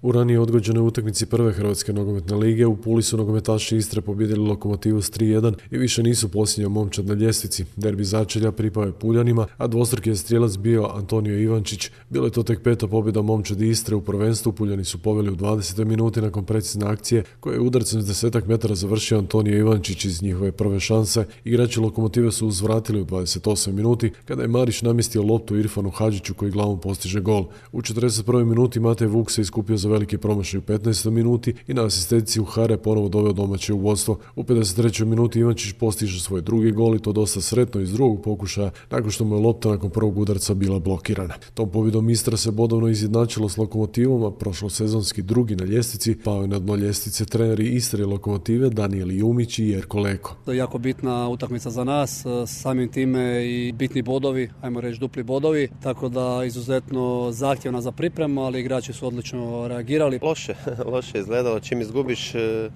U ranije odgođenoj utakmici prve Hrvatske nogometne lige u Puli su nogometaši Istre pobijedili Lokomotivu s 3:1 i više nisu posljednja momčad na ljestvici. Derbi začelja pripao je Puljanima, a dvostruki je strijelac bio Antonio Ivančić. Bilo je to tek peta pobjeda momčadi Istre u prvenstvu. Puljani su poveli u 20. minuti nakon precizne akcije koje je udarcem s 10 metara završio Antonio Ivančić iz njihove prve šanse. Igrači Lokomotive su uzvratili u 28 minuti kada je Marić namjestio loptu Irfanu Hadžiću koji glavom postiže gol. U 41. minuti Matej Vuk se iskupio za veliki promašaj u 15. minuti i na asistenciju Hare ponovo doveo domaće u vodstvo. U 53. minuti Ivančić postiže svoj drugi gol i to dosta sretno iz drugog pokušaja nakon što mu je lopta nakon prvog udarca bila blokirana. Tom pobjedom Istra se bodovno izjednačilo s Lokomotivom, a prošlosezonski drugi na ljestvici pao je na dno ljestvice treneri Istre i Lokomotive Danijel Jumić i Jerko Leko. To je jako bitna utakmica za nas, samim time i bitni bodovi, ajmo reći dupli bodovi, tako da izuzetno zahtjevna za pripremu, ali igrači su odlično reagirali. Loše je izgledalo, čim izgubiš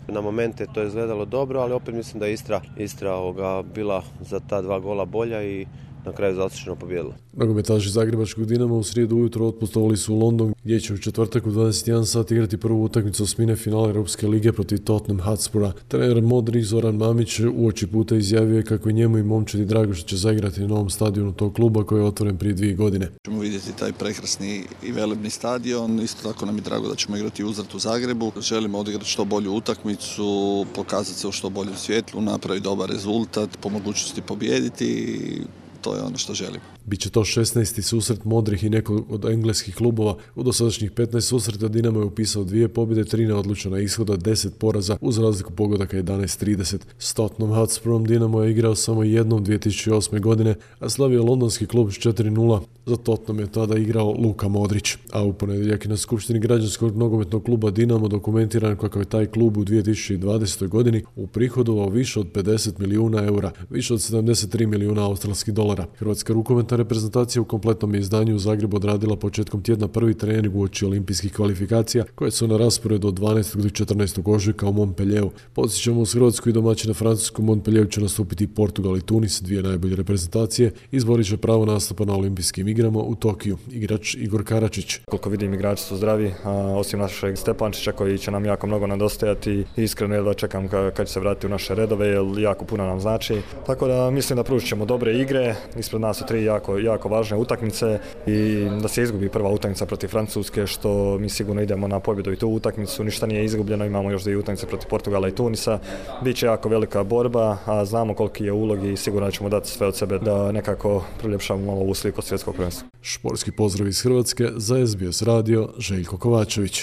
na momente to je izgledalo dobro, ali opet mislim da je Istra bila za ta dva gola bolja i na kraju zasluženo pobijedila. Nogometaši Zagrebačkog Dinama u srijedu ujutro otputovali su u London gdje će u četvrtak u 21 sat igrati prvu utakmicu osmine finala Europske lige protiv Tottenham Hotspura. Trener modri Zoran Mamić uoči puta izjavio je kako je njemu i momčadi drago što će zaigrati na novom stadionu tog kluba koji je otvoren prije 2 godine. Ćemo vidjeti taj prekrasni i velebni stadion, isto tako nam je drago da ćemo igrati uzvrat u Zagrebu. Želimo odigrati što bolju utakmicu, pokazati se u što boljem svjetlu, napraviti dobar rezultat, po mogućnosti pobijediti. To je ono što želimo. Biće to 16. susret modrih i nekog od engleskih klubova. U dosadašnjih 15 susreta Dinamo je upisao 2 pobjede, 3 neodlučena ishoda, 10 poraza uz razliku pogodaka 11-30. S Tottenham Hotspurom Dinamo je igrao samo jednom 2008. godine, a slavio londonski klub s 4:0. Za Tottenham je tada igrao Luka Modrić. A u ponedjeljak je na skupštini građanskog nogometnog kluba Dinamo dokumentiran kako je taj klub u 2020. godini uprihodovao više od 50 milijuna eura, više od 73 milijuna australskih dolara. Hrvatska rukometna reprezentacija u kompletnom izdanju u Zagrebu odradila početkom tjedna prvi trening uoči olimpijskih kvalifikacija koje su na rasporedu od 12. do 14. ožujka u Montpellieru. Podsjećamo, uz Hrvatsku i domaćina Francusku Montpellieru će nastupiti Portugal i Tunis, 2 najbolje reprezentacije, izborit će pravo nastupa na olimpijskim igrama u Tokiju. Igrač Igor Karačić. Koliko vidim, igrači su zdravi, osim našeg Stepančića koji će nam jako mnogo nedostajati. Iskreno jedva čekam kad će se vratiti u naše redove jer jako puno nam znači. Tako da mislim da pružit ćemo dobre igre. Ispred nas su 3 jako važne utakmice i da se izgubi prva utakmica protiv Francuske, što mi sigurno idemo na pobjedu i tu utakmicu. Ništa nije izgubljeno, imamo još 2 utakmice protiv Portugala i Tunisa. Biće jako velika borba, a znamo koliki je ulog i sigurno ćemo dati sve od sebe da nekako priljepšamo malo ovu sliku svjetskog prvenstva. Športski pozdrav iz Hrvatske za SBS radio, Željko Kovačević.